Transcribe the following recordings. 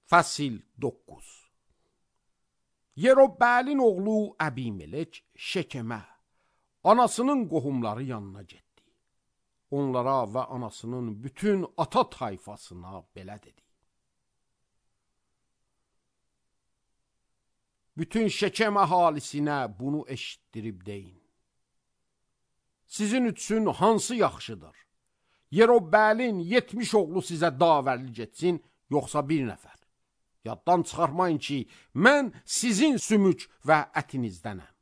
Fəsil 9. Yerobbəəlin oğlu Əbimelek Şekemə, anasının qohumları yanına getdi. Onlara və anasının bütün ata tayfasına belə dedi. Bütün Şekem əhalisinə bunu eşitdirib deyin. Sizin üçün hansı yaxşıdır? Yerobbəəlin 70 oğlu sizə davərlik etsin, yoxsa bir nəfər? Yaddan çıxarmayın ki, mən sizin sümük və ətinizdənəm.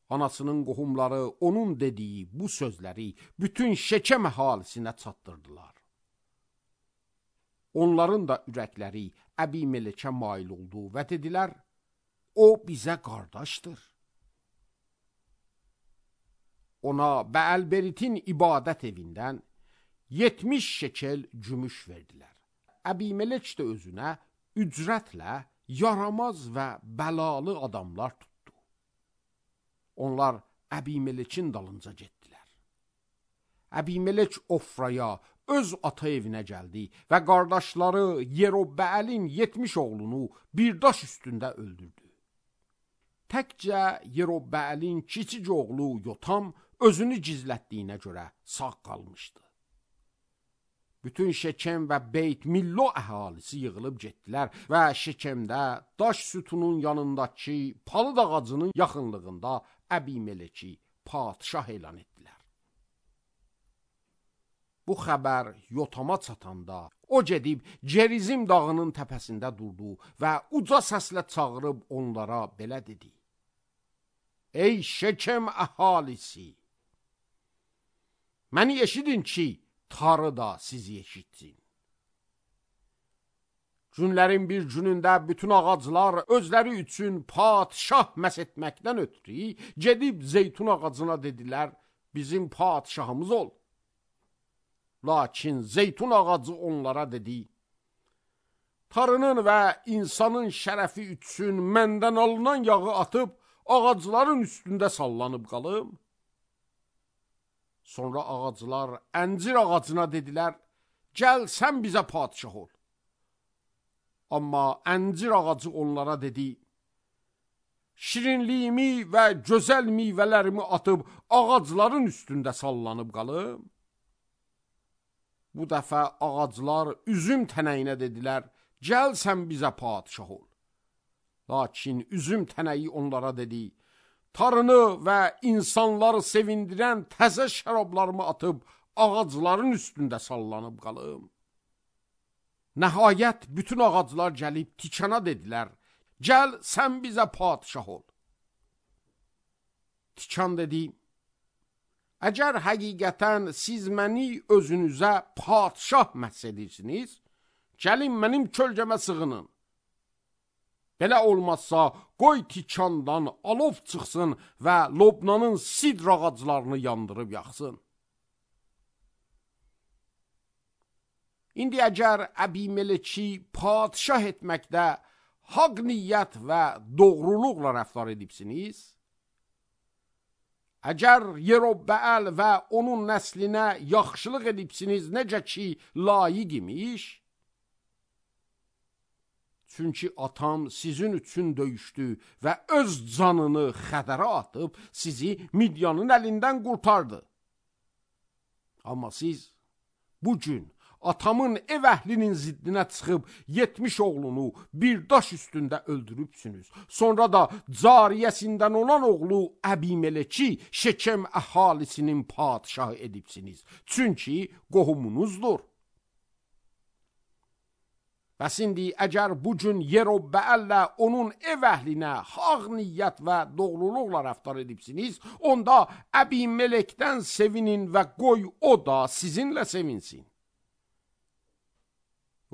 Anasının qohumları onun dediyi bu sözləri bütün Şekem əhalisinə çatdırdılar. Onların da ürəkləri Əbimelekə mail oldu və dedilər, o bizə qardaşdır. Ona Bəəlberitin ibadət evindən 70 şekel gümüş verdilər. Əbimelek də özünə ücrətlə yaramaz və bəlalı adamlar tutdu. Onlar Əbimelekin dalınca getdilər. Əbimelek Ofraya, öz ata evinə gəldi və qardaşları Yerobbəəlin 70 oğlunu bir daş üstündə öldürdü. Təkcə Yerobbəəlin kiçik oğlu Yotam özünü gizlətdiyinə görə sağ qalmışdı. Bütün Şekem və Beyt Millo əhalisi yığılıb getdilər və Şekemdə daş sütunun yanındakı palıd ağacının yaxınlığında Əbimeleki padşah elan etdilər. Bu xəbər Yotama çatanda o gedib Gerizim dağının təpəsində durdu və uca səslə çağırıb onlara belə dedi. Ey Şekem əhalisi! Məni eşidin ki, Tanrı da sizi eşitsin. Günlərin bir günündə bütün ağaclar özləri üçün padşah məs etməkdən ötürü gedib zeytun ağacına dedilər, bizim padşahımız ol. Lakin zeytun ağacı onlara dedi, Tanrının və insanın şərəfi üçün məndən alınan yağı atıb ağacların üstündə sallanıb qalım. Sonra ağaclar əncir ağacına dedilər, gəl sən bizə padşah ol. Amma əncir ağacı onlara dedi, şirinliyimi və gözəl meyvələrimi atıb ağacların üstündə sallanıb qalım. Bu dəfə ağaclar üzüm tənəyinə dedilər, gəl sən bizə padşah ol. Lakin üzüm tənəyi onlara dedi, Tanrını və insanları sevindirən təzə şərablarımı atıb ağacların üstündə sallanıb qalım. Nəhayət bütün ağaclar gəlib tikana dedilər, gəl sən bizə padşah ol. Tikan dedi, əgər həqiqətən siz məni özünüzə padşah məhs edirsiniz, gəlin mənim kölgəmə sığının. Belə olmazsa, qoy tikandan alov çıxsın və Lobnanın sidr ağaclarını yandırıb yaxsın. İndi əgər Əbimeleki padşah etməkdə haqq niyyət və doğruluqla rəftar edibsiniz, əgər Yerobbəəl və onun nəslinə yaxşılıq edibsiniz, necə ki layiq imiş, çünki atam sizin üçün döyüşdü və öz canını xətərə atıb sizi Midyanın əlindən qurtardı. Amma siz bugün atamın ev əhlinin ziddinə çıxıb 70 oğlunu bir daş üstündə öldürübsünüz. Sonra da cariyəsindən olan oğlu Əbimeleki Şekem əhalisinin padşahı edibsiniz. Çünki qohumunuzdur. Bəs indi əgər bugün Yerobbəəllə onun ev əhlinə haqq niyyət və doğruluqla rəftar edibsiniz, onda Əbimelekdən sevinin və qoy o da sizinlə sevinsin.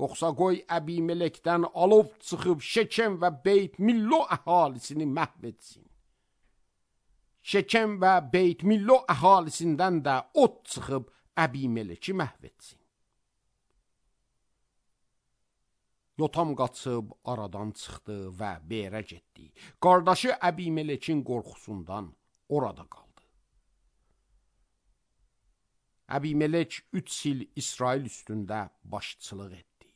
Yoxsa qoy Əbimelekdən alov çıxıb Şekem və Beyt Millo əhalisini məhv etsin. Şekem və Beyt Millo əhalisindən də od çıxıb Əbimeleki məhv etsin. Yotam qaçıb aradan çıxdı və Berə getdi. Qardaşı Əbimelekin qorxusundan orada qaldı. Əbimelek 3 il İsrail üstündə başçılıq etdi.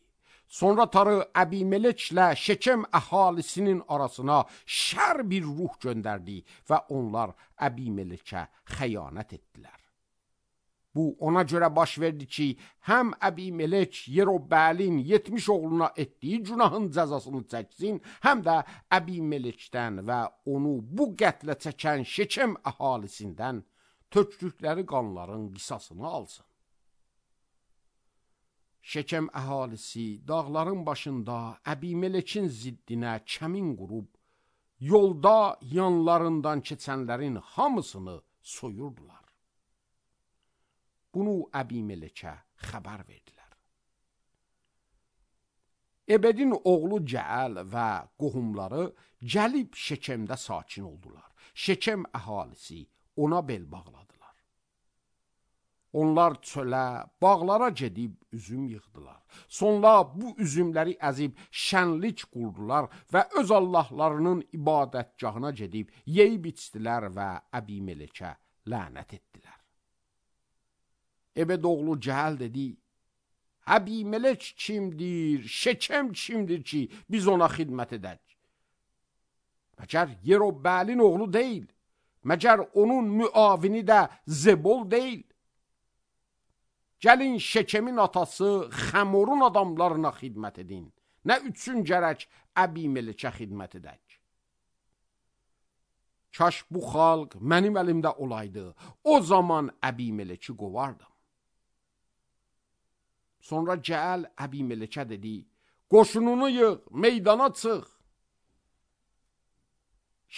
Sonra Tanrı Əbimeleklə Şekem əhalisinin arasına şər bir ruh göndərdi və onlar Əbimelekə xəyanət etdilər. Bu ona görə baş verdi ki, həm Əbimelek Yerobəlin 70 oğluna etdiyi günahın cəzasını çəksin, həm də Əbimelekdən və onu bu qətlə çəkən Şekem əhalisindən tökdükləri qanların qisasını alsın. Şekem əhalisi dağların başında Əbimelekin ziddinə kəmin qurub, yolda yanlarından keçənlərin hamısını soyurdular. Bunu Əbimelekə xəbər verdilər. Ebedin oğlu Cəəl və qohumları gəlib Şekemdə sakin oldular. Şekem əhalisi ona bel bağladılar. Onlar çölə, bağlara gedib üzüm yığdılar. Sonra bu üzümləri əzib şənlik qurdular və öz Allahlarının ibadətgahına gedib yeyib içdilər və Əbimelekə lənət etdilər. Ebed oğlu Cəəl dedi, Əbimelek kimdir, Şekem kimdir ki, biz ona xidmət edək? Məgər Yerobəlin oğlu deyil, məgər onun müavini də Zebol deyil? Gəlin Şekemin atası Xəmorun adamlarına xidmət edin, nə üçün gərək Əbimelekə xidmət edək? Kaş bu xalq mənim əlimdə olaydı, o zaman Əbimeleki qovardım. Sonra Cəəl Əbimelekə dedi, qoşununu yığ, meydana çıx.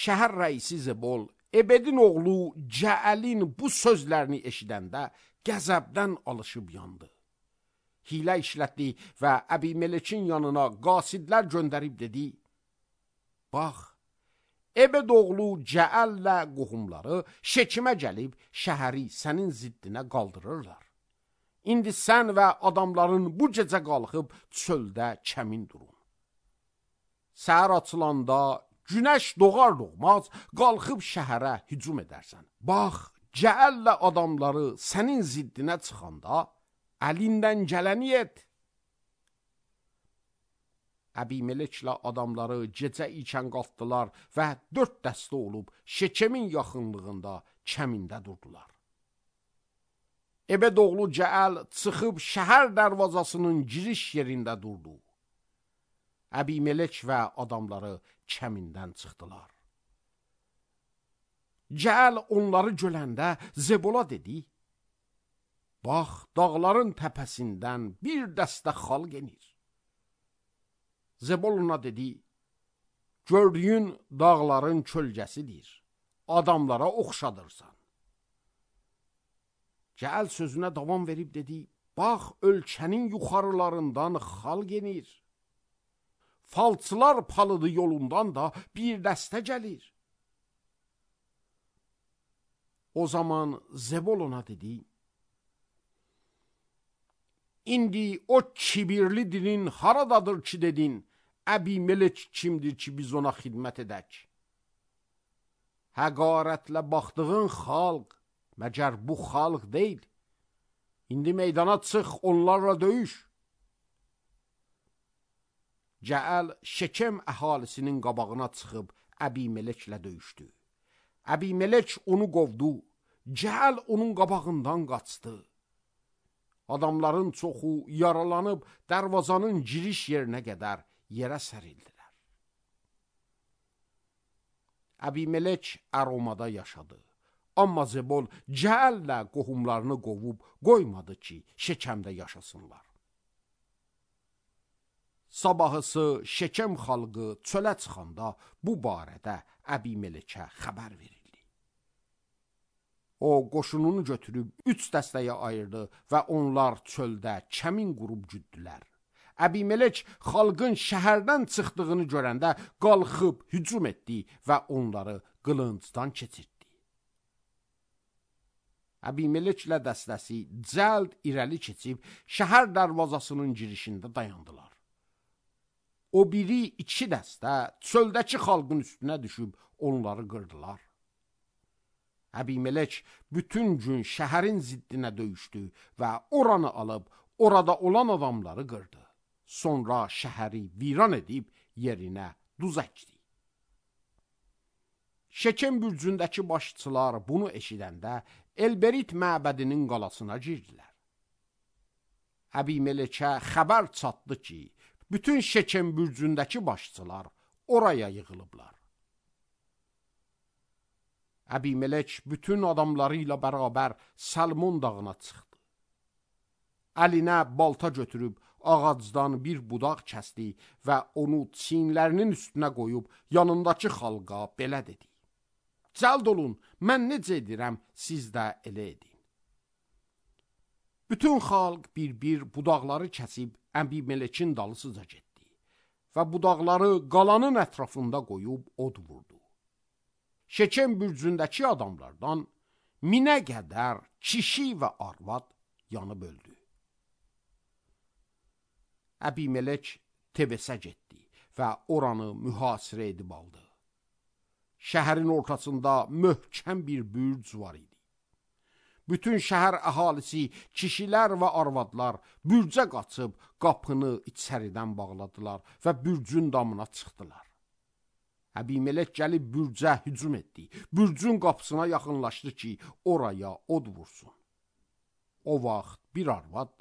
Şəhər rəisi Zebol, Ebedin oğlu Cəəlin bu sözlərini eşidəndə qəzəbdən alışıb yandı. Hilə işlətdi və Əbimelekin yanına qasidlər göndərib dedi, bax, Ebed oğlu Cəəllə qohumları Şekimə gəlib şəhəri sənin ziddinə qaldırırlar. İndi sən və adamların bu gecə qalxıb çöldə kəmin durun. Səhər açılanda günəş doğar doğmaz qalxıb şəhərə hücum edərsən. Bax, Cəəllə adamları sənin ziddinə çıxanda əlindən gələni et. Əbimeleklə adamları gecə ikən qalxdılar və 4 dəstə olub Şekemin yaxınlığında kəmində durdular. Ebed oğlu Cəəl çıxıb şəhər dərvazasının giriş yerində durdu. Əbimelek və adamları kəmindən çıxdılar. Cəəl onları görəndə Zebola dedi, bax, dağların təpəsindən bir dəstə xalq enir. Zebol ona dedi, gördüyün dağların kölgəsidir, adamlara oxşadırsan. Cəəl sözünə davam verib dedi, bax, ölkənin yuxarılarından xalq enir. Falçılar palıdı yolundan da bir dəstə gəlir. O zaman Zebol ona dedi, İndi o kibirli dilin haradadır ki dedin, Əbimelek kimdir ki biz ona xidmət edək? Həqarətlə baxdığın xalq, məgər bu xalq deyil. İndi meydana çıx, onlarla döyüş. Cəəl Şekem əhalisinin qabağına çıxıb Əbimeleklə döyüşdü. Əbimelek onu qovdu, Cəəl onun qabağından qaçdı. Adamların çoxu yaralanıb dərvazanın giriş yerinə qədər yerə sərildilər. Əbimelek Əromada yaşadı. Amma Zebol Cəəllə qohumlarını qovub qoymadı ki, Şekemdə yaşasınlar. Sabahısı Şekem xalqı çölə çıxanda bu barədə Əbimelekə xəbər verildi. O, qoşununu götürüb 3 dəstəyə ayırdı və onlar çöldə kəmin qurub güddülər. Əbimelek xalqın şəhərdən çıxdığını görəndə qalxıb hücum etdi və onları qılıncdan keçirtdi. Əbimeleklə dəstəsi cəld irəli keçib şəhər dərvazasının girişində dayandılar. O biri 2 dəstə çöldəki xalqın üstünə düşüb onları qırdılar. Əbimelek bütün gün şəhərin ziddinə döyüşdü və oranı alıb, orada olan adamları qırdı. Sonra şəhəri viran edib yerinə duz əkdi. Şekem bürcündəki başçılar bunu eşidəndə Elberit məbədinin qalasına girdilər. Əbimelekə xəbər çatdı ki, bütün Şekem bürcündəki başçılar oraya yığılıblar. Əbimelek bütün adamları ilə bərabər Salmon dağına çıxdı. Əlinə balta götürüb ağacdan bir budaq kəsdi və onu çiyinlərinin üstünə qoyub yanındakı xalqa belə dedi: Cəld olun, mən necə edirəm, siz də elə edin. Bütün xalq bir-bir budaqları kəsib Əbimelekin dalısıca getdi və budaqları qalanın ətrafında qoyub od vurdu. Şekem bürcündəki adamlardan 1000-ə qədər kişi və arvad yanıb öldü. Əbimelek Tebesə getdi və oranı mühasirə edib aldı. Şəhərin ortasında möhkəm bir bürc var idi. Bütün şəhər əhalisi, kişilər və arvadlar bürcə qaçıb qapını içəridən bağladılar və bürcün damına çıxdılar. Əbimelek gəlib bürcə hücum etdi. Bürcün qapısına yaxınlaşdı ki, oraya od vursun. O vaxt bir arvad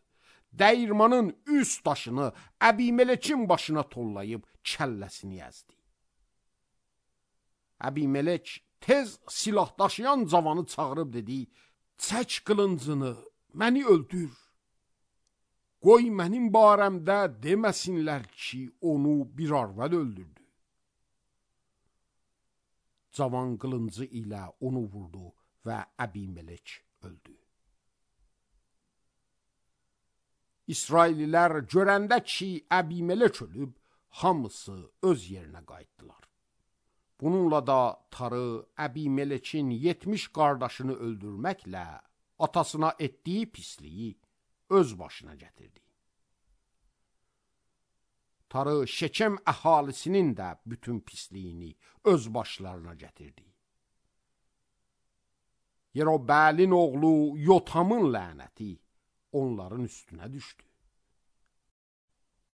dəyirmanın üst daşını Əbimelekin başına tollayıb kəlləsini əzdi. Əbimelek tez silah daşıyan cavanı çağırıb dedi: Çək qılıncını, məni öldür. Qoy mənim barəmdə deməsinlər ki, onu bir arvad öldürdü. Cavan qılıncı ilə onu vurdu və Əbimelek öldü. İsraililər görəndə ki, Əbimelek ölüb, hamısı öz yerinə qayıtdılar. Bununla da Tarı Əbimelekin 70 qardaşını öldürməklə atasına etdiyi pisliyi öz başına gətirdi. Tarı Şekem əhalisinin də bütün pisliyini öz başlarına gətirdi. Yerobəlin oğlu Yotamın lənəti onların üstünə düşdü.